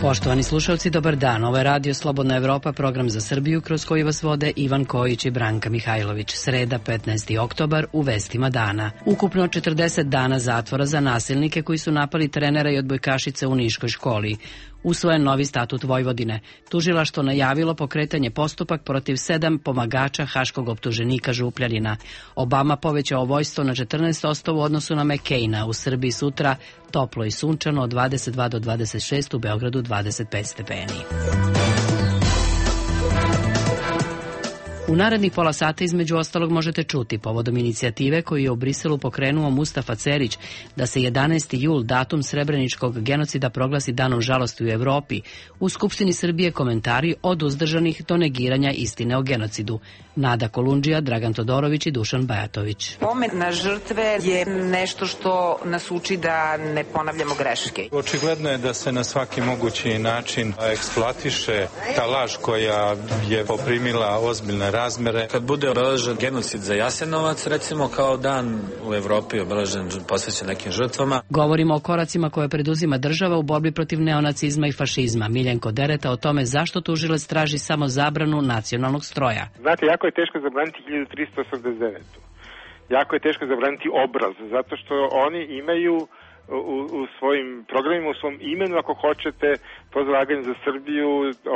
Poštovani slušalci, dobar dan. Ovo je Radio Slobodna Evropa, program za Srbiju kroz koji vas vode Ivan Kojić i Branka Mihajlović. Sreda, 15. oktobar, u vestima dana. Ukupno 40 dana zatvora za nasilnike koji su napali trenera i odbojkašice u niškoj školi. Usvojen novi statut Vojvodine. Tužilaštvo najavilo pokretanje postupak protiv 7 pomagača haškog optuženika Župljanina. Obama povećao vojstvo na 14% u odnosu na McCaina. U Srbiji sutra toplo i sunčano od 22 do 26, u Beogradu 25 stepeni. U narednih pola sata između ostalog možete čuti povodom inicijative koju je u Briselu pokrenuo Mustafa Cerić da se 11. jul, datum srebreničkog genocida, proglasi danom žalosti u Evropi. U Skupštini Srbije komentari od uzdržanih do negiranja istine o genocidu. Nada Kolundžija, Dragan Todorović i Dušan Bajatović. Pomen na žrtve je nešto što nas uči da ne ponavljamo greške. Očigledno je da se na svaki mogući način eksploatiše ta laž koja je poprimila ozbiljne razmere. Kad bude obeležen genocid za Jasenovac, recimo kao dan u Evropi obeležen posvećen nekim žrtvama. Govorimo o koracima koje preduzima država u borbi protiv neonacizma i fašizma. Miljenko Dereta o tome zašto tužilac traži samo zabranu nacionalnog stroja. Znate, jako je teško zabraniti 1389. Jako je teško zabraniti obraz, zato što oni imaju u svojim programima, u svom imenu, ako hoćete, to zalaganje za Srbiju,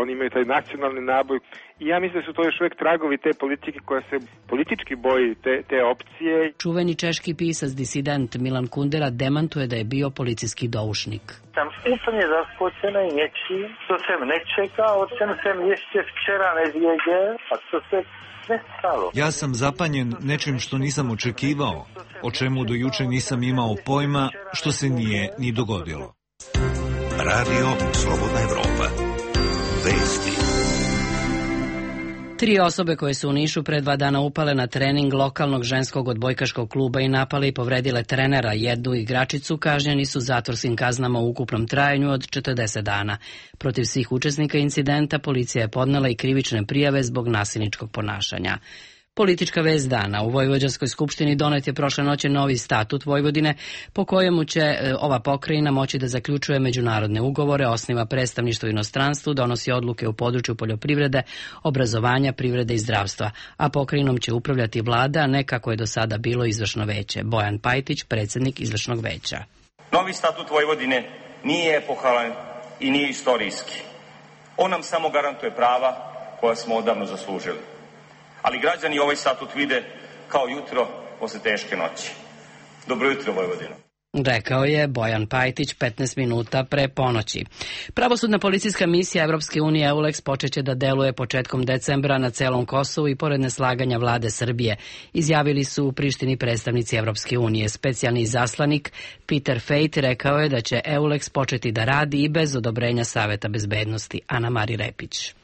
oni imaju taj nacionalni naboj. I ja mislim da su to još uvijek tragovi te politike koja se politički boji te opcije. Čuveni češki pisac, disident Milan Kundera demantuje da je bio policijski doušnik. Sam úplně zaskočena něčím, co jsem nečekal, o čem jsem ještě včera nevěděl a co se nestalo. Ja sam zapanjen nečim što nisam očekivao, o čemu do juče nisam imao pojma, što se nije ni dogodilo. Radio Slobodna Evropa. Vesti. 3 osobe koje su u Nišu pre 2 dana upale na trening lokalnog ženskog odbojkaškog kluba i napale i povredile trenera, jednu igračicu, kažnjeni su zatvorskim kaznama u ukupnom trajanju od 40 dana. Protiv svih učesnika incidenta policija je podnela i krivične prijave zbog nasilničkog ponašanja. Politička vest dana. U Vojvođanskoj skupštini donet je prošle noći novi statut Vojvodine, po kojemu će ova pokrajina moći da zaključuje međunarodne ugovore, osniva predstavništvo u inostranstvu, donosi odluke u području poljoprivrede, obrazovanja, privrede i zdravstva, a pokrajinom će upravljati vlada, a ne kako je do sada bilo izvršno veće. Bojan Pajtić, predsjednik izvršnog veća. Novi statut Vojvodine nije epohalan i nije istorijski. On nam samo garantuje prava koja smo odavno zaslužili. Ali građani ovaj statut vide kao jutro posle teške noći. Dobro jutro, Vojvodino. Rekao je Bojan Pajtić 15 minuta pre ponoći. Pravosudna policijska misija Evropske unije EULEX počeće da deluje početkom decembra na celom Kosovu i pored neslaganja vlade Srbije, izjavili su u Prištini predstavnici Evropske unije. Specijalni izaslanik Peter Fejt rekao je da će EULEX početi da radi i bez odobrenja Saveta bezbednosti. Ana Mari Repić.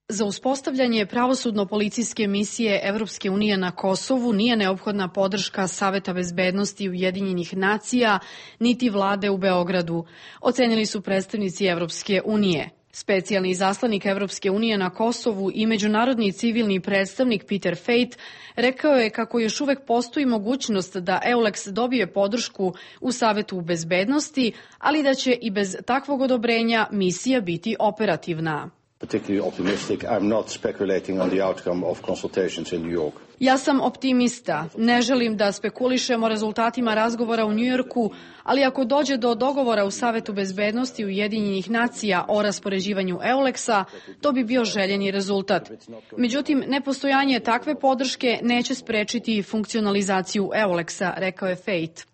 Za uspostavljanje pravosudno-policijske misije Evropske unije na Kosovu nije neophodna podrška Saveta bezbednosti Ujedinjenih nacija niti vlade u Beogradu, ocenili su predstavnici Evropske unije. Specijalni izaslanik Evropske unije na Kosovu i međunarodni civilni predstavnik Peter Fejt rekao je kako još uvek postoji mogućnost da EULEX dobije podršku u Savetu bezbednosti, ali da će i bez takvog odobrenja misija biti operativna. Ja sam optimista. Ne želim da spekulišem o rezultatima razgovora u Njujorku, ali ako dođe do dogovora u Savetu bezbednosti Ujedinjenih nacija o raspoređivanju EULEX-a, to bi bio željeni rezultat. Međutim, nepostojanje takve podrške neće sprečiti funkcionalizaciju EULEX-a, rekao je Fejt.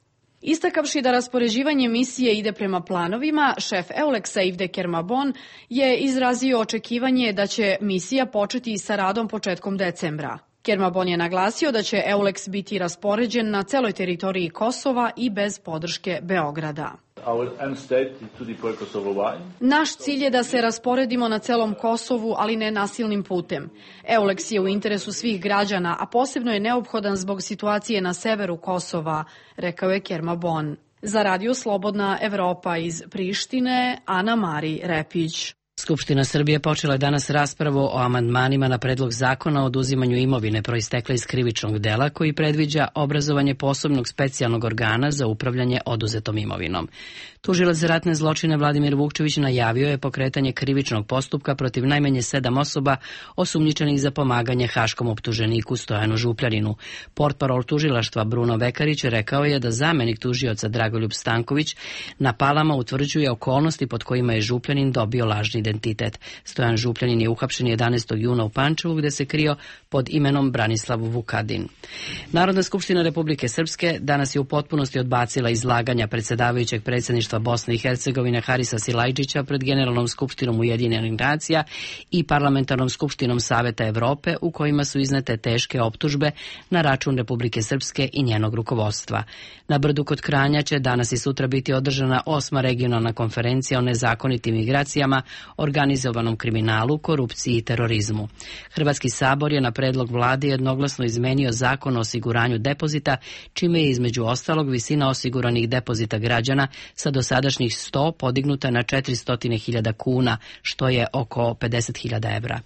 Istakavši da raspoređivanje misije ide prema planovima, šef EULEX-a Yves de Kermabon je izrazio očekivanje da će misija početi sa radom početkom decembra. Kermabon je naglasio da će EULEX biti raspoređen na celoj teritoriji Kosova i bez podrške Beograda. Naš cilj je da se rasporedimo na celom Kosovu, ali ne nasilnim putem. EULEX je u interesu svih građana, a posebno je neophodan zbog situacije na severu Kosova, rekao je Kermabon. Za Radio Slobodna Evropa iz Prištine, Ana Mari Repić. Skupština Srbije počela je danas raspravu o amandmanima na predlog zakona o oduzimanju imovine proistekle iz krivičnog dela koji predviđa obrazovanje posebnog specijalnog organa za upravljanje oduzetom imovinom. Tužilac za ratne zločine Vladimir Vukčević najavio je pokretanje krivičnog postupka protiv najmanje 7 osoba osumnjičenih za pomaganje haškom optuženiku Stojanu Župljaninu. Portparol tužilaštva Bruno Vekarić rekao je da zamenik tužioca Dragoljub Stanković na Palama utvrđuje okolnosti pod kojima je Župljanin dobio lažni identitet. Stojan Župljanin je uhapšen 11. juna u Pančevu gde se krio pod imenom Branislav Vukadin. Narodna skupština Republike Srpske danas je u potpunosti odbacila izlaganja predsedavajućeg predsjedništva Bosne i Hercegovine Harisa Silajđića pred Generalnom skupštinom Ujedinjenih nacija i Parlamentarnom skupštinom Saveta Evrope u kojima su iznete teške optužbe na račun Republike Srpske i njenog rukovodstva. Na Brdu kod Kranja će danas i sutra biti održana 8. regionalna konferencija o nezakonitim migracijama, organizovanom kriminalu, korupciji i terorizmu. Hrvatski sabor je na predlog vlade jednoglasno izmenio zakon o osiguranju depozita, čime je između ostalog visina osiguranih depozita građana sa dosadašnjih 100 podignuta na 400.000 kuna, što je oko 50.000 evra.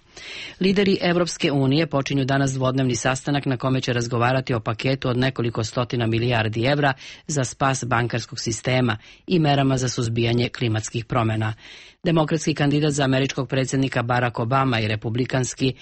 Lideri Evropske unije počinju danas dvodnevni sastanak na kome će razgovarati o paketu od nekoliko stotina milijardi evra za spas bankarskog sistema i merama za suzbijanje klimatskih promjena. Demokratski kandidat za američkog predsjednika Barack Obama i republikanski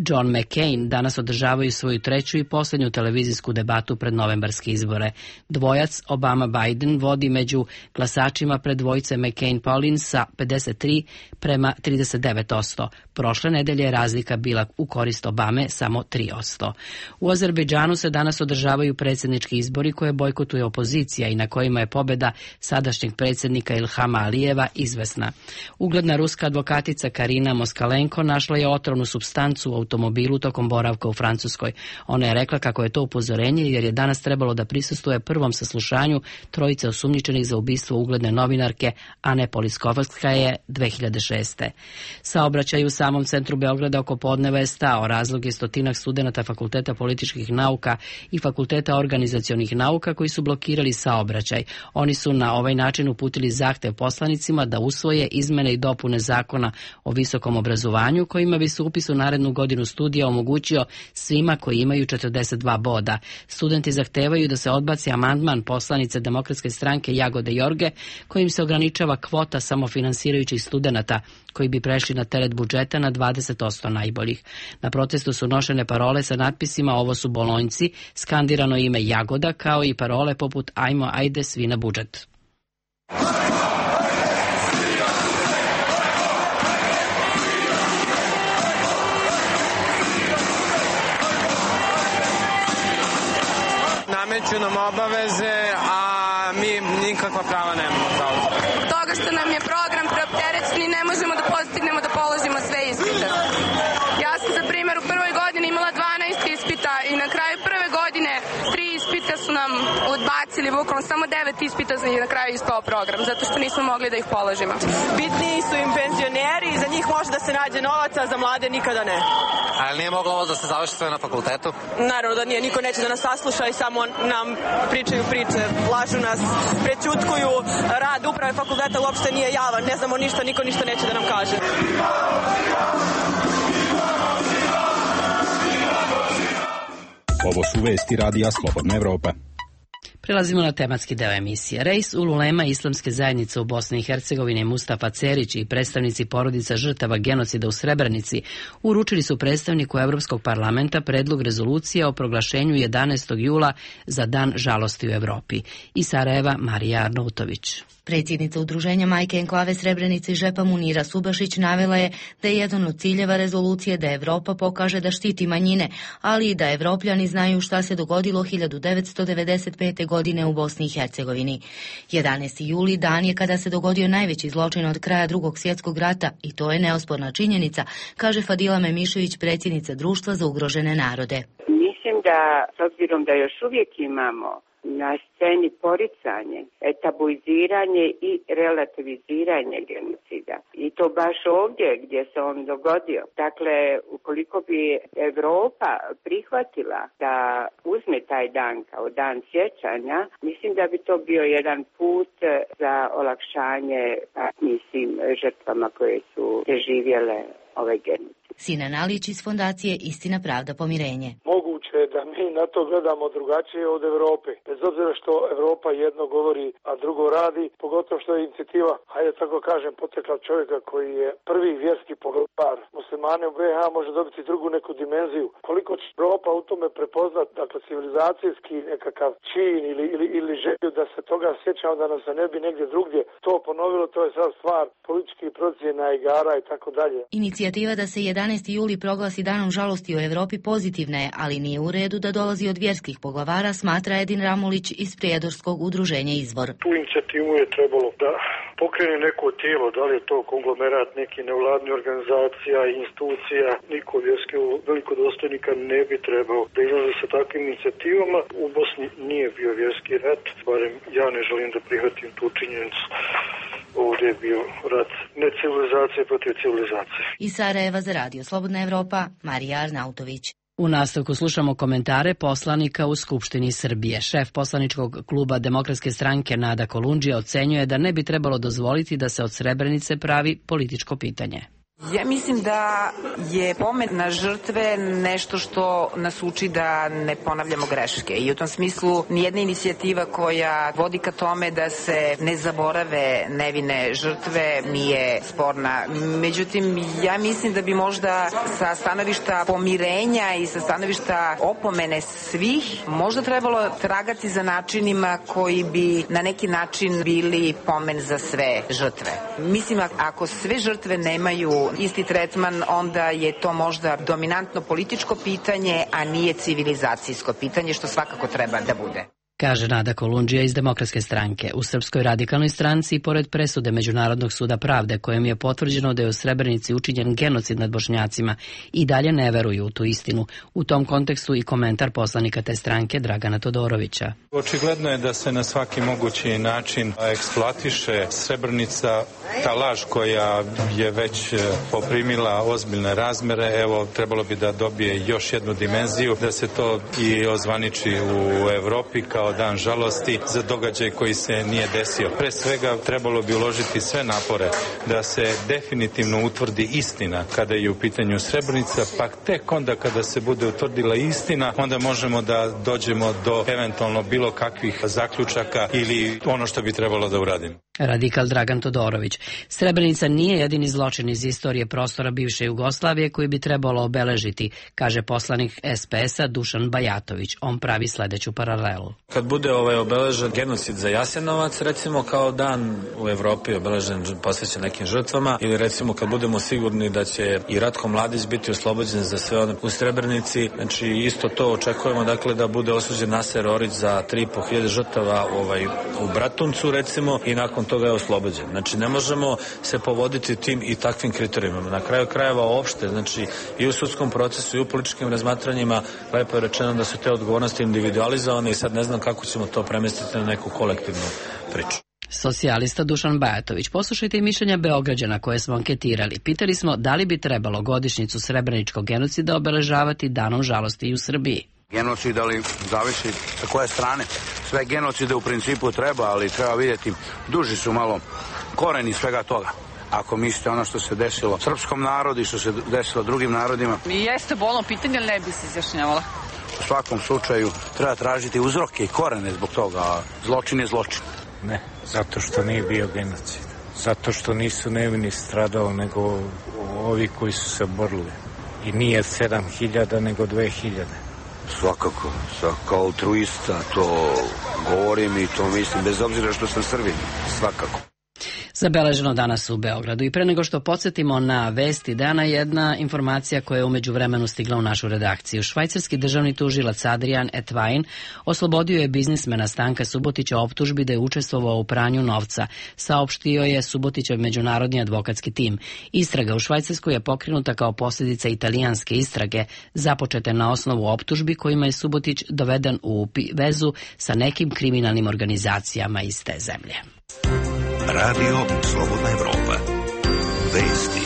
John McCain danas održavaju svoju treću i posljednju televizijsku debatu pred novembarske izbore. Dvojac Obama-Biden vodi među glasačima pred dvojice McCain-Paulin sa 53:39%. Prošle nedelje je razlika bila u korist Obame samo 3%. U Azerbejdžanu se danas održavaju predsjednički izbori koje bojkotuje opozicija i na kojima je pobjeda sadašnjeg predsjednika Ilhama Alijeva izvesna. Ugledna ruska advokatica Karina Moskalenko našla je otrovnu supstancu u automobilu tokom boravka u Francuskoj. Ona je rekla kako je to upozorenje jer je danas trebalo da prisustvuje prvom saslušanju trojice osumnjičenih za ubistvo ugledne novinarke Ane Poliskovaskaje 2006. Saobraćaj u samom centru Beograda oko podneva je stao. Razlog je stotinak studenata Fakulteta političkih nauka i Fakulteta organizacionih nauka koji su blokirali saobraćaj. Oni su na ovaj način uputili zahtev poslanicima da usvoje izmene i dopune zakona o visokom obrazovanju kojima bi se upis u narednu godinu studija omogućio svima koji imaju 42 boda. Studenti zahtevaju da se odbaci amandman poslanice Demokratske stranke Jagode Jorge kojim se ograničava kvota samofinansirajućih studenata koji bi prešli na teret budžeta na 20% najboljih. Na protestu su nošene parole sa natpisima "Ovo su bolonjci", skandirano ime Jagoda, kao i parole poput "Ajmo, ajde, svi na budžet". Nameću nam obaveze, a mi nikakva prava nemamo. Toga što nam je program preopterećen i ne možemo da postignemo da položimo sve ispite. Ja sam za primjer u prvoj godini imala 12 ispita i na kraju prve godine 3 ispita su nam odbacili, bukvalno samo 9 ispita i na kraju ispao program, zato što nismo mogli da ih položimo. Bitniji su im penzioneri, za njih može da se nađe novaca, za mlade nikada ne. Ali nije moglo ovo da se završi sve na fakultetu? Naravno da nije, niko neće da nas sasluša i samo nam pričaju priče, lažu nas, prećutkuju, rad uprave fakulteta uopšte nije javan, ne znamo ništa, niko ništa neće da nam kaže. Ovo su vesti Radija Slobodna Evropa. Prelazimo na tematski deo emisije. Reis ululema Islamske zajednice u Bosni i Hercegovini Mustafa Cerić i predstavnici porodica žrtava genocida u Srebrenici uručili su predstavniku Evropskog parlamenta predlog rezolucije o proglašenju 11. jula za Dan žalosti u Evropi. Iz Sarajeva Marija Arnautović. Predsjednica udruženja Majke enklave Srebrenice Žepa Munira Subašić navela je da je jedan od ciljeva rezolucije da Evropa pokaže da štiti manjine, ali i da Evropljani znaju šta se dogodilo 1995. godine u Bosni i Hercegovini. 11. juli dan je kada se dogodio najveći zločin od kraja Drugog svjetskog rata i to je neosporna činjenica, kaže Fadila Memišević, predsjednica Društva za ugrožene narode. Mislim da, s obzirom da još uvijek imamo na sceni poricanje, tabuiziranje i relativiziranje genocida. I to baš ovdje gdje se on dogodio. Dakle, ukoliko bi Evropa prihvatila da uzme taj dan kao dan sjećanja, mislim da bi to bio jedan put za olakšanje žrtvama koje su preživjele ovaj genocid. Sinan Alić iz fondacije Istina, pravda, pomirenje. Moguće je da mi na to gledamo drugačije od Evrope. Bez obzira što Evropa jedno govori, a drugo radi, pogotovo što je inicijativa, hajde tako kažem, potekla čovjeka koji je prvi vjerski poglavar muslimane u BiH, može dobiti drugu neku dimenziju. Koliko će Evropa u tome prepoznat, dakle, civilizacijski nekakav čin ili želju da se toga sjećamo, da nam se ne bi negdje drugdje to ponovilo, to je sad stvar političkih procjena, igara i tako dalje. Inicijativa da se 11. juli proglasi danom žalosti u Evropi pozitivna je, ali nije u redu da dolazi od vjerskih poglavara, smatra Edin Ramulić iz Prijedorskog udruženja Izvor. Tu inicijativu je trebalo da pokrene neko tijelo, da li je to konglomerat neki nevladni organizacija, institucija, niko vjerski velikodostojnika ne bi trebao da izlazi sa takvim inicijativama. U Bosni nije bio vjerski rat, barem ja ne želim da prihvatim tu činjenicu. Ovdje je bio rat ne civilizacije protiv civilizacije. Iz Sarajeva za Radio Slobodna Evropa, Marija Arnautović. U nastavku slušamo komentare poslanika u Skupštini Srbije. Šef poslaničkog kluba Demokratske stranke Nada Kolundžija ocenjuje da ne bi trebalo dozvoliti da se od Srebrenice pravi političko pitanje. Ja mislim da je pomen na žrtve nešto što nas uči da ne ponavljamo greške i u tom smislu nijedna inicijativa koja vodi ka tome da se ne zaborave nevine žrtve nije sporna. Međutim, ja mislim da bi možda sa stanovišta pomirenja i sa stanovišta opomene svih možda trebalo tragati za načinima koji bi na neki način bili pomen za sve žrtve. Mislim, ako sve žrtve nemaju isti tretman, onda je to možda dominantno političko pitanje, a nije civilizacijsko pitanje, što svakako treba da bude. Kaže Nada Kolundžija iz Demokratske stranke. U Srpskoj radikalnoj stranci, pored presude Međunarodnog suda pravde, kojem je potvrđeno da je u Srebrenici učinjen genocid nad Bošnjacima, i dalje ne veruju u tu istinu. U tom kontekstu i komentar poslanika te stranke Dragana Todorovića. Očigledno je da se na svaki mogući način eksploatiše Srebrenica, ta laž koja je već poprimila ozbiljne razmere. Evo, trebalo bi da dobije još jednu dimenziju, da se to i ozvaniči u Evropi kao dan žalosti za događaj koji se nije desio. Pre svega trebalo bi uložiti sve napore da se definitivno utvrdi istina kada je u pitanju Srebrenica, pa tek onda kada se bude utvrdila istina, onda možemo da dođemo do eventualno bilo kakvih zaključaka ili ono što bi trebalo da uradimo. Radikal Dragan Todorović. Srebrenica nije jedini zločin iz istorije prostora bivše Jugoslavije koji bi trebalo obeležiti, kaže poslanik SPS-a Dušan Bajatović. On pravi sledeću paralelu. Kad bude obeležen genocid za Jasenovac, recimo kao dan u Evropi obeležen posvećen nekim žrtvama, ili recimo kad budemo sigurni da će i Ratko Mladić biti oslobođen za sve one u Srebrenici, znači isto to očekujemo, dakle, da bude osuđen Naser Orić za 3.500 žrtava u Bratuncu, recimo, i nakon toga je oslobođen. Znači, ne možemo se povoditi tim i takvim kriterijumima. Na kraju krajeva opšte, znači i u sudskom procesu i u političkim razmatranjima lepo je rečeno da su te odgovornosti individualizovane i sad ne znam kako ćemo to premestiti na neku kolektivnu priču. Socijalista Dušan Bajatović. Poslušajte i mišljenja Beograđana koje smo anketirali. Pitali smo da li bi trebalo godišnjicu Srebreničkog genocida obeležavati danom žalosti i u Srbiji. Genocid, ali zavisi sa koje strane. Sve genocide u principu treba, ali treba vidjeti, duži su malo koreni svega toga. Ako mislite ono što se desilo srpskom narodu i što se desilo drugim narodima. Jeste bolno pitanje, ali ne bi se izjašnjavala. U svakom slučaju treba tražiti uzroke i korene zbog toga, a zločin je zločin. Ne, zato što nije bio genocid. Zato što nisu nevini stradali, nego ovi koji su se borili. I nije 7.000, nego 2.000. Svakako, kao altruista to govorim i to mislim, bez obzira što sam Srbin, svakako. Zabeleženo danas u Beogradu. I pre nego što podsjetimo na vesti dana, jedna informacija koja je umeđu vremenu stigla u našu redakciju. Švajcarski državni tužilac Adrian Etwein oslobodio je biznismena Stanka Subotića optužbi da je učestvovao u pranju novca, saopštio je Subotićev međunarodni advokatski tim. Istraga u Švajcarskoj je pokrenuta kao posljedica italijanske istrage, započete na osnovu optužbi kojima je Subotić doveden u vezu sa nekim kriminalnim organizacijama iz te zemlje. Radio Slobodna Evropa. Vesti.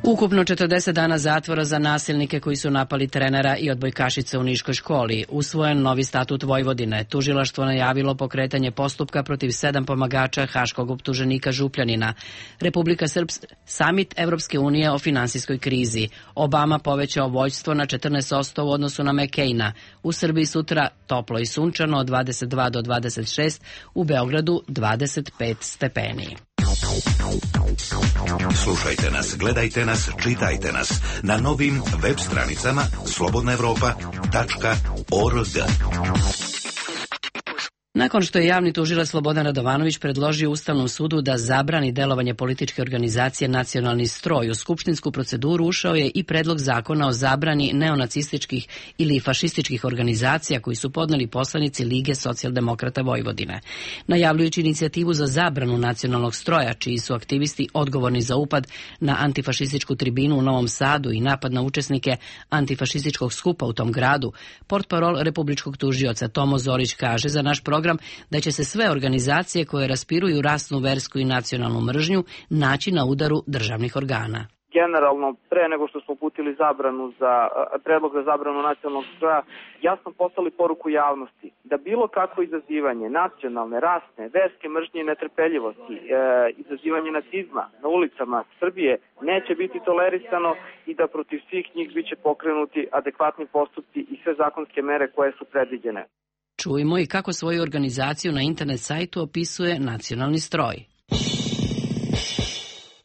Ukupno 40 dana zatvora za nasilnike koji su napali trenera i odbojkašice u Niškoj školi. Usvojen novi statut Vojvodine. Tužilaštvo najavilo pokretanje postupka protiv 7 pomagača haškog optuženika Župljanina. Republika Srpska, samit Evropske unije o finansijskoj krizi. Obama povećao vođstvo na 14% u odnosu na McCaina. U Srbiji sutra toplo i sunčano od 22 do 26, u Beogradu 25 stepeni. Slušajte nas, gledajte nas, čitajte nas na novim web stranicama slobodnaevropa.org. Nakon što je javni tužilac Slobodan Radovanović predložio Ustavnom sudu da zabrani delovanje političke organizacije Nacionalni stroj, u skupštinsku proceduru ušao je i predlog zakona o zabrani neonacističkih ili fašističkih organizacija koji su podneli poslanici Lige socijaldemokrata Vojvodine. Najavljujući inicijativu za zabranu Nacionalnog stroja, čiji su aktivisti odgovorni za upad na antifašističku tribinu u Novom Sadu i napad na učesnike antifašističkog skupa u tom gradu, portparol republičkog tužioca Tomo Zorić kaže za naš program da će se sve organizacije koje raspiruju rasnu, versku i nacionalnu mržnju naći na udaru državnih organa. Generalno, pre nego što smo uputili predlog za zabranu nacionalnog stroja, jasno poslali poruku javnosti da bilo kakvo izazivanje nacionalne, rasne, verske mržnje i netrpeljivosti, izazivanje nacizma na ulicama Srbije neće biti tolerisano i da protiv svih njih biće pokrenuti adekvatni postupci i sve zakonske mere koje su predviđene. Čujmo i kako svoju organizaciju na internet sajtu opisuje Nacionalni stroj.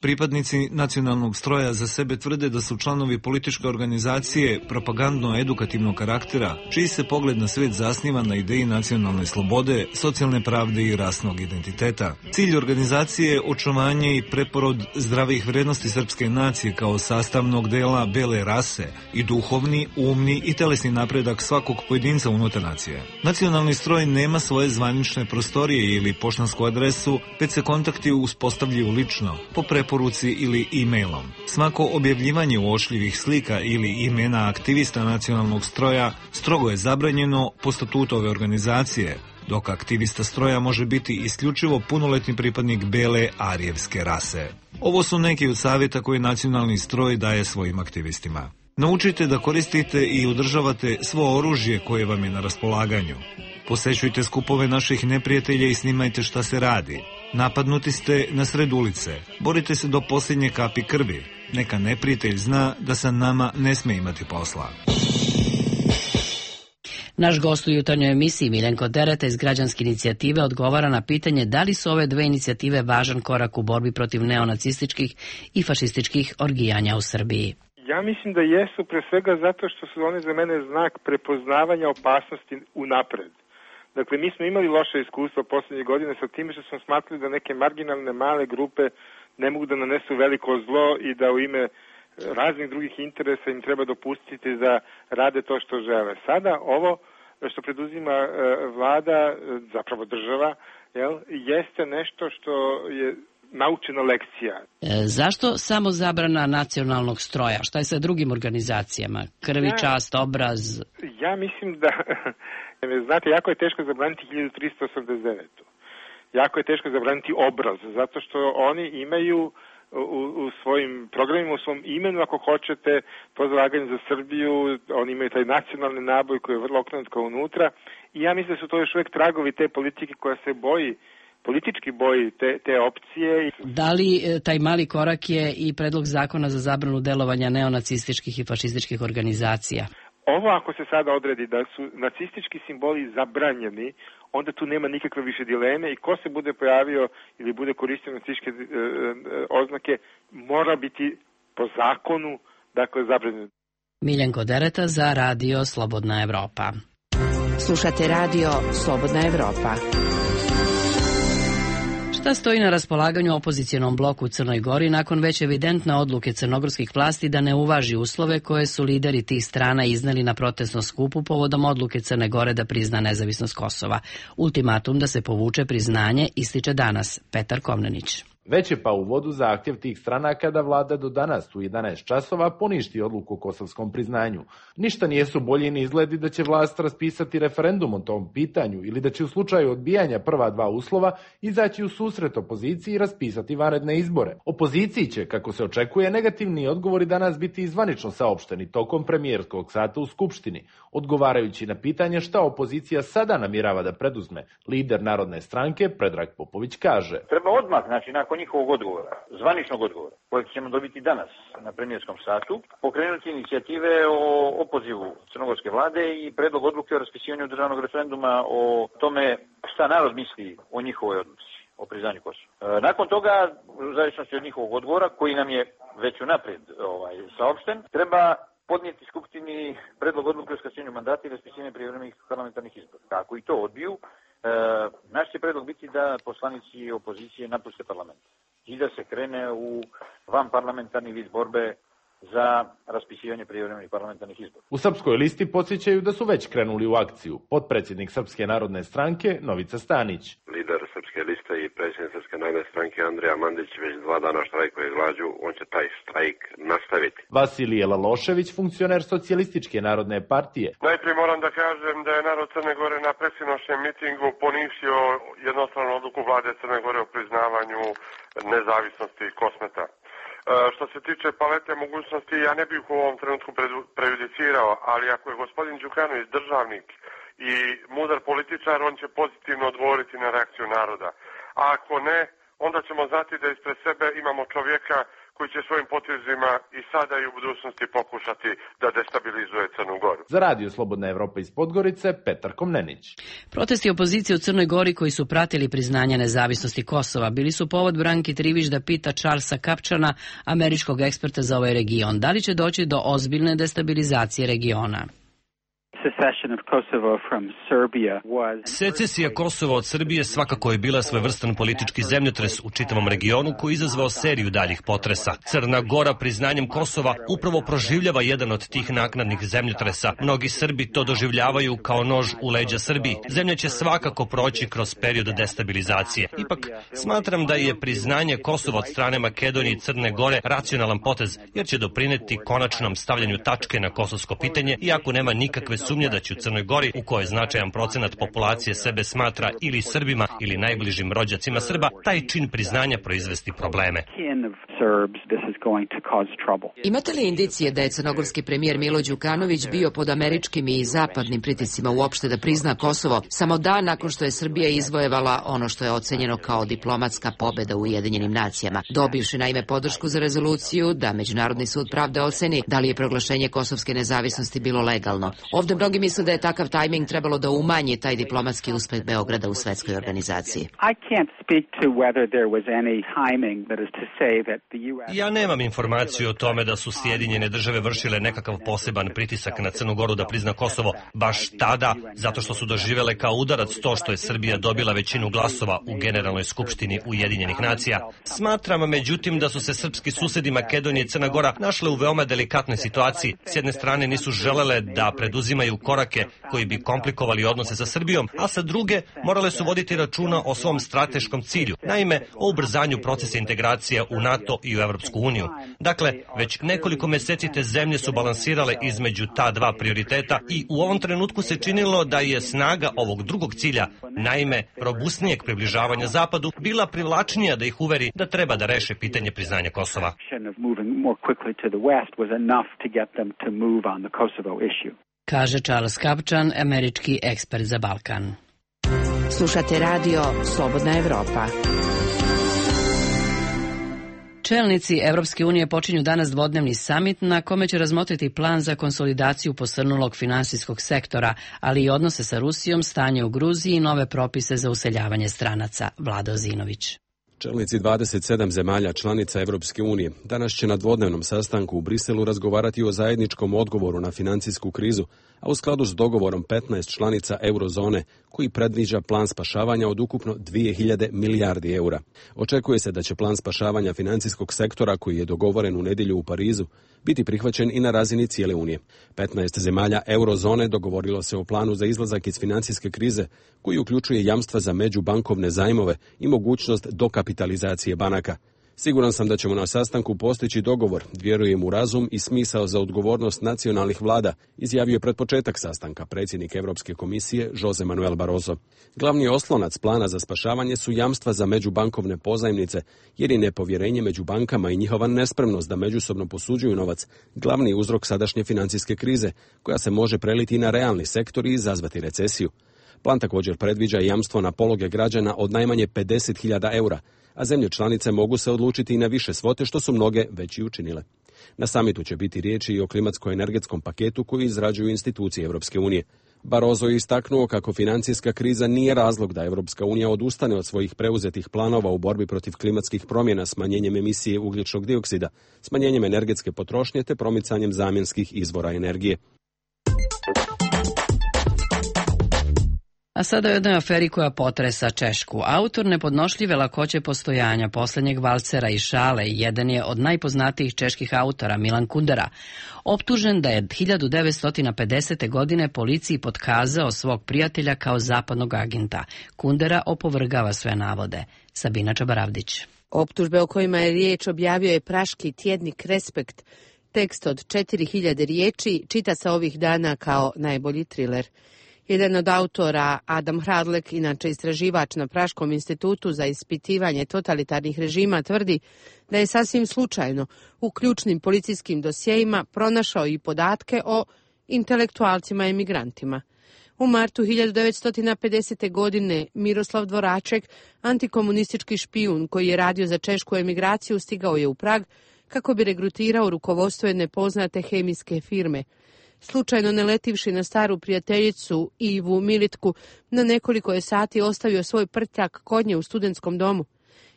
Pripadnici Nacionalnog stroja za sebe tvrde da su članovi političke organizacije propagandno-edukativnog karaktera, čiji se pogled na svet zasniva na ideji nacionalne slobode, socijalne pravde i rasnog identiteta. Cilj organizacije je očuvanje i preporod zdravih vrednosti srpske nacije kao sastavnog dela bele rase i duhovni, umni i telesni napredak svakog pojedinca unutar nacije. Nacionalni stroj nema svoje zvanične prostorije ili poštansku adresu, već se kontakti uspostavljaju lično, po preporuci ili e-mailom. Svako objavljivanje uočljivih slika ili imena aktivista nacionalnog stroja strogo je zabranjeno po statutu ove organizacije, dok aktivista stroja može biti isključivo punoletni pripadnik bele arijevske rase. Ovo su neki od savjeta koje nacionalni stroj daje svojim aktivistima. Naučite da koristite i održavate svo oružje koje vam je na raspolaganju. Posećujte skupove naših neprijatelja i snimajte šta se radi. Napadnuti ste na sred ulice. Borite se do posljednje kapi krvi. Neka neprijatelj zna da sa nama ne sme imati posla. Naš gost u jutarnjoj emisiji Miljenko Dereta iz Građanske inicijative odgovara na pitanje da li su ove dve inicijative važan korak u borbi protiv neonacističkih i fašističkih orgijanja u Srbiji. Ja mislim da jesu, pre svega zato što su one za mene znak prepoznavanja opasnosti unapred. Dakle, mi smo imali loše iskustva poslednje godine sa time što smo smatrali da neke marginalne male grupe ne mogu da nanesu veliko zlo i da u ime raznih drugih interesa im treba dopustiti da rade to što žele. Sada ovo što preduzima vlada, zapravo država, jeste nešto što je naučena lekcija. Zašto samo zabrana nacionalnog stroja? Šta je sa drugim organizacijama? Krvi, čast, obraz? Ja mislim da, znate, jako je teško zabraniti 1389. Jako je teško zabraniti obraz, zato što oni imaju u svojim programima, u svom imenu, ako hoćete, to zalaganje za Srbiju, oni imaju taj nacionalni naboj koji je vrlo okrenut kao unutra i ja mislim da su to još uvek tragovi te politike koja se boji, politički boji te opcije. Da li taj mali korak je i predlog zakona za zabranu delovanja neonacističkih i fašističkih organizacija? Ovo ako se sada odredi da su nacistički simboli zabranjeni, onda tu nema nikakve više dileme i ko se bude pojavio ili bude koristio nacističke oznake mora biti po zakonu, dakle, zabranjen. Miljenko Dereta za Radio Slobodna Evropa. Slušate Radio Slobodna Evropa. Šta stoji na raspolaganju opozicionom bloku u Crnoj Gori nakon već evidentne odluke crnogorskih vlasti da ne uvaži uslove koje su lideri tih strana izneli na protestnom skupu povodom odluke Crne Gore da prizna nezavisnost Kosova? Ultimatum da se povuče priznanje ističe danas Petar Komnenić. Već je pa u vodu zahtjev tih stranaka da vlada do danas u 11 časova poništi odluku o kosovskom priznanju. Ništa nijesu bolji ni izgledi da će vlast raspisati referendum o tom pitanju ili da će u slučaju odbijanja prva dva uslova izaći u susret opoziciji i raspisati vanredne izbore. Opoziciji će, kako se očekuje, negativni odgovori danas biti zvanično saopšteni tokom premijerskog sata u Skupštini. Odgovarajući na pitanje šta opozicija sada namjerava da preduzme, lider Narodne stranke Predrag Popović kaže: Treba odmah, nakon njihovog odgovora, zvaničnog odgovora, kojeg ćemo dobiti danas na premijerskom satu, pokrenuti inicijative o opozivu crnogorske vlade i predlog odluke o raspisivanju državnog referenduma o tome šta narod misli o njihovoj odluci, o priznanju Kosova. Nakon toga, u zavisnosti od njihovog odgovora, koji nam je već unaprijed saopšten, treba podnijeti Skupštini predlog odluke o skraćenju mandata i raspisivanje prijevremenih parlamentarnih izbora. Ako i to odbiju, naš će predlog biti da poslanici opozicije napuste parlament i da se krene u vanparlamentarni vid borbe za raspisivanje prijevremenih parlamentarnih izbora. U Srpskoj listi podsjećaju da su već krenuli u akciju. Potpredsjednik Srpske narodne stranke Novica Stanić. Lider Srpske liste i predsjednik Srpske narodne stranke Andrija Mandić već 2 dana štrajkuje glađu, on će taj štrajk nastaviti. Vasilije Lalošević, funkcioner Socijalističke narodne partije. Najprije moram da kažem da je narod Crne Gore na predsjedničkom mitingu poništio jednostavnu odluku vlade Crne Gore o priznavanju nezavisnosti Kosmeta. Što se tiče palete mogućnosti, ja ne bih u ovom trenutku prejudicirao, ali ako je gospodin Đukanović državnik i mudar političar, on će pozitivno odgovoriti na reakciju naroda. A ako ne, onda ćemo znati da ispred sebe imamo čovjeka koji će svojim potezima i sada i u budućnosti pokušati da destabilizuje Crnu Goru. Za Radio Slobodna Evropa iz Podgorice, Petar Komnenić. Protesti opozicije u Crnoj Gori koji su pratili priznanje nezavisnosti Kosova bili su povod Branki Trivić da pita Charlesa Kapčana, američkog eksperta za ovaj region, da li će doći do ozbiljne destabilizacije regiona. Secesija Kosova od Srbije svakako je bila svojevrstan politički zemljotres u čitavom regionu koji je izazvao seriju daljih potresa. Crna Gora priznanjem Kosova upravo proživljava jedan od tih naknadnih zemljotresa. Mnogi Srbi to doživljavaju kao nož u leđa Srbiji. Zemlja će svakako proći kroz period destabilizacije. Ipak, smatram da je priznanje Kosova od strane Makedonije i Crne Gore racionalan potez, jer će doprineti konačnom stavljanju tačke na kosovsko pitanje, iako nema nikakve sumnje da će u Crnoj Gori, u kojoj značajan procenat populacije sebe smatra ili Srbima ili najbližim rođacima Srba, taj čin priznanja proizvesti probleme. Imate li indicije da je crnogorski premijer Milo Đukanović bio pod američkim i zapadnim pritiscima uopšte da prizna Kosovo samo dan nakon što je Srbija izvojevala ono što je ocenjeno kao diplomatska pobeda u Ujedinjenim nacijama, dobivši naime podršku za rezoluciju da Međunarodni sud pravde oceni da li je proglašenje kosovske nezavisnosti bilo legalno. Ovdje mnogi misle da je takav tajming trebalo da umanji taj diplomatski uspeh Beograda u svetskoj organizaciji. Ja nemam informaciju o tome da su Sjedinjene države vršile nekakav poseban pritisak na Crnu Goru da prizna Kosovo baš tada, zato što su doživele kao udarac to što je Srbija dobila većinu glasova u Generalnoj skupštini Ujedinjenih nacija. Smatram, međutim, da su se srpski susedi Makedonije i Crna Gora našle u veoma delikatnoj situaciji. S jedne strane nisu želele da preduzimaju korake koji bi komplikovali odnose sa Srbijom, a sa druge morale su voditi računa o svom strateškom cilju, naime o ubrzanju procesa integracija u NATO i u Evropsku uniju. Dakle, već nekoliko meseci te zemlje su balansirale između ta dva prioriteta i u ovom trenutku se činilo da je snaga ovog drugog cilja, naime robustnijeg približavanja Zapadu, bila privlačnija da ih uveri da treba da reše pitanje priznanja Kosova. Kaže Charles Kapčan, američki ekspert za Balkan. Slušate radio Slobodna Evropa. Čelnici Evropske unije počinju danas dvodnevni samit na kome će razmotriti plan za konsolidaciju posrnulog finansijskog sektora, ali i odnose sa Rusijom, stanje u Gruziji i nove propise za useljavanje stranaca. Vlada Ozinović. Čelnici 27 zemalja članica Evropske unije danas će na dvodnevnom sastanku u Briselu razgovarati o zajedničkom odgovoru na financijsku krizu, a u skladu s dogovorom 15 članica eurozone koji predviđa plan spašavanja od ukupno 2000 milijardi eura. Očekuje se da će plan spašavanja financijskog sektora koji je dogovoren u nedjelju u Parizu biti prihvaćen i na razini cijele Unije. 15 zemalja eurozone dogovorilo se o planu za izlazak iz financijske krize koji uključuje jamstva za međubankovne zajmove i mogućnost dokapitalizacije banaka. Siguran sam da ćemo na sastanku postići dogovor, vjerujem u razum i smisao za odgovornost nacionalnih vlada, izjavio pred početak sastanka predsjednik Europske komisije Jose Manuel Barroso. Glavni oslonac plana za spašavanje su jamstva za međubankovne pozajmnice, jer je nepovjerenje među bankama i njihova nespremnost da međusobno posuđuju novac glavni uzrok sadašnje financijske krize, koja se može preliti na realni sektor i izazvati recesiju. Plan također predviđa jamstvo na pologe građana od najmanje 50.000 eura, a zemlje članice mogu se odlučiti i na više svote, što su mnoge već i učinile. Na samitu će biti riječi i o klimatsko-energetskom paketu koji izrađuju institucije Europske unije. Barroso je istaknuo kako financijska kriza nije razlog da Europska unija odustane od svojih preuzetih planova u borbi protiv klimatskih promjena smanjenjem emisije ugljičnog dioksida, smanjenjem energetske potrošnje te promicanjem zamjenskih izvora energije. A sada o jednoj aferi koja potresa Češku. Autor nepodnošljive lakoće postojanja posljednjeg valcera i šale jedan je od najpoznatijih čeških autora, Milan Kundera, optužen da je 1950. godine policiji potkazao svog prijatelja kao zapadnog agenta. Kundera opovrgava sve navode. Sabina Čabaravdić. Optužbe o kojima je riječ objavio je praški tjednik Respekt. Tekst od 4000 riječi čita se ovih dana kao najbolji triler. Jedan od autora, Adam Hradlek, inače istraživač na Praškom institutu za ispitivanje totalitarnih režima, tvrdi da je sasvim slučajno u ključnim policijskim dosjejima pronašao i podatke o intelektualcima i emigrantima. U martu 1950. godine Miroslav Dvoraček, antikomunistički špijun koji je radio za češku emigraciju, stigao je u Prag kako bi regrutirao rukovodstvo jedne poznate hemijske firme. Slučajno naletivši na staru prijateljicu Ivu Militku, na nekoliko je sati ostavio svoj prtljak kod nje u studentskom domu.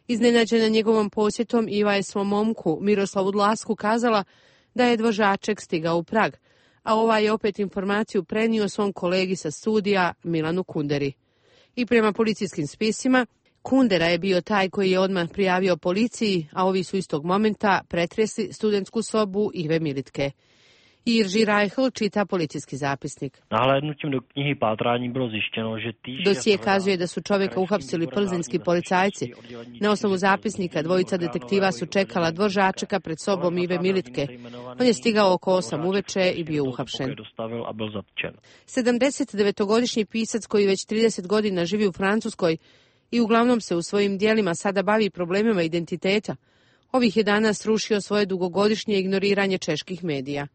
Iznenađena njegovom posjetom, Iva je svom momku, Miroslavu Dlasku, kazala da je Dvoraček stigao u Prag, a ovaj je opet informaciju prenio svom kolegi sa studija, Milanu Kunderi. I prema policijskim spisima, Kundera je bio taj koji je odmah prijavio policiji, a ovi su istog momenta pretresli studentsku sobu Ive Militke. Irži Rajhl čita policijski zapisnik. Dosije kazuje da su čovjeka uhapsili plzeňski policajci. Na osnovu zapisnika dvojica detektiva su čekala Dvoračeka pred sobom Ive Militke. On je stigao oko 8 uveče i bio uhapšen. 79-godišnji pisac koji već 30 godina živi u Francuskoj i uglavnom se u svojim dijelima sada bavi problemima identiteta, ovih je dana srušio svoje dugogodišnje ignoriranje čeških medija.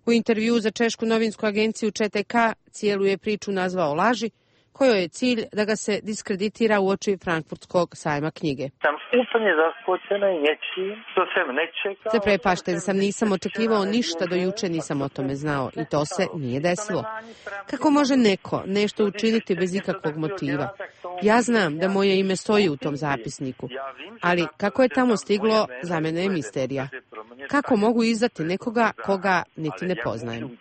U intervjuu za češku novinsku agenciju ČTK cijelu je priču nazvao laži, kojoj je cilj da ga se diskreditira uoči Frankfurtskog sajma knjige. Zaprepašten sam, nisam očekivao ništa, do juče nisam o tome znao i to se nije desilo. Kako može neko nešto učiniti bez ikakvog motiva? Ja znam da moje ime stoji u tom zapisniku, ali kako je tamo stiglo, za mene je misterija. Kako mogu izdati nekoga koga niti ne poznajem?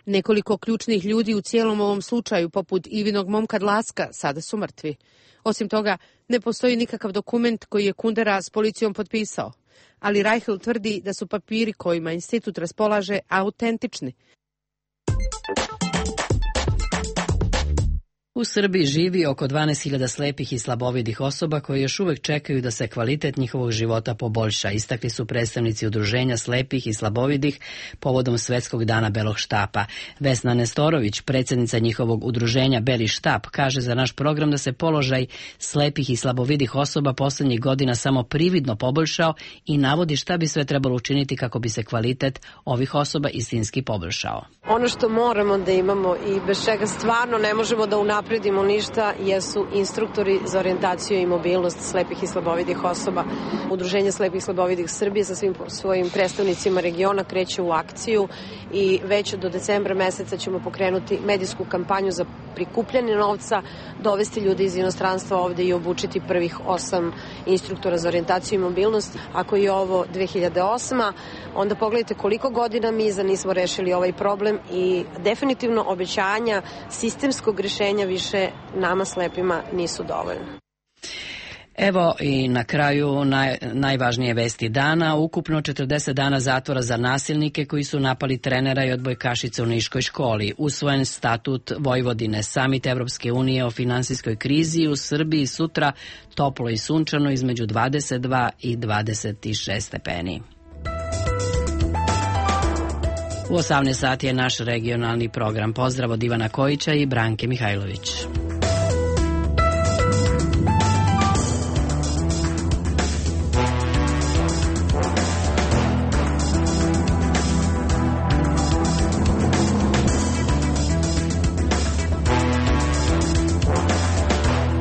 Nekoliko ključnih ljudi u cijelom ovom slučaju, poput Ivinog momka Dlaska, sada su mrtvi. Osim toga, ne postoji nikakav dokument koji je Kundera s policijom potpisao, ali Reichel tvrdi da su papiri kojima institut raspolaže autentični. U Srbiji živi oko 12.000 slepih i slabovidih osoba koji još uvek čekaju da se kvalitet njihovog života poboljša, istakli su predstavnici udruženja slepih i slabovidih povodom Svetskog dana Belog štapa. Vesna Nestorović, predsjednica njihovog udruženja Beli štap, kaže za naš program da se položaj slepih i slabovidih osoba posljednjih godina samo prividno poboljšao i navodi šta bi sve trebalo učiniti kako bi se kvalitet ovih osoba istinski poboljšao. Ono što moramo da imamo i bez čega stvarno ne možemo da unapredimo unapredimo ništa jesu instruktori za orijentaciju i mobilnost slepih i slabovidih osoba. Udruženje slepih i slabovidih Srbije sa svim svojim predstavnicima regiona kreće u akciju i već do decembra meseca ćemo pokrenuti medijsku kampanju za prikupljanje novca, dovesti ljude iz inostranstva ovde i obučiti prvih 8 instruktora za orijentaciju i mobilnost. Ako je ovo 2008. onda pogledajte koliko godina mi iza nismo rešili ovaj problem i definitivno obećanja sistemskog rešenja više nama slepima nisu dovoljna. Evo i na kraju najvažnije vesti dana. Ukupno 40 dana zatvora za nasilnike koji su napali trenera i odbojkašice u Niškoj školi. Usvojen statut Vojvodine, samit Evropske unije o finansijskoj krizi u Srbiji sutra toplo i sunčano između 22 i 26 stepeni. U 18 sati je naš regionalni program. Pozdrav od Ivana Kojića i Branke Mihajlović.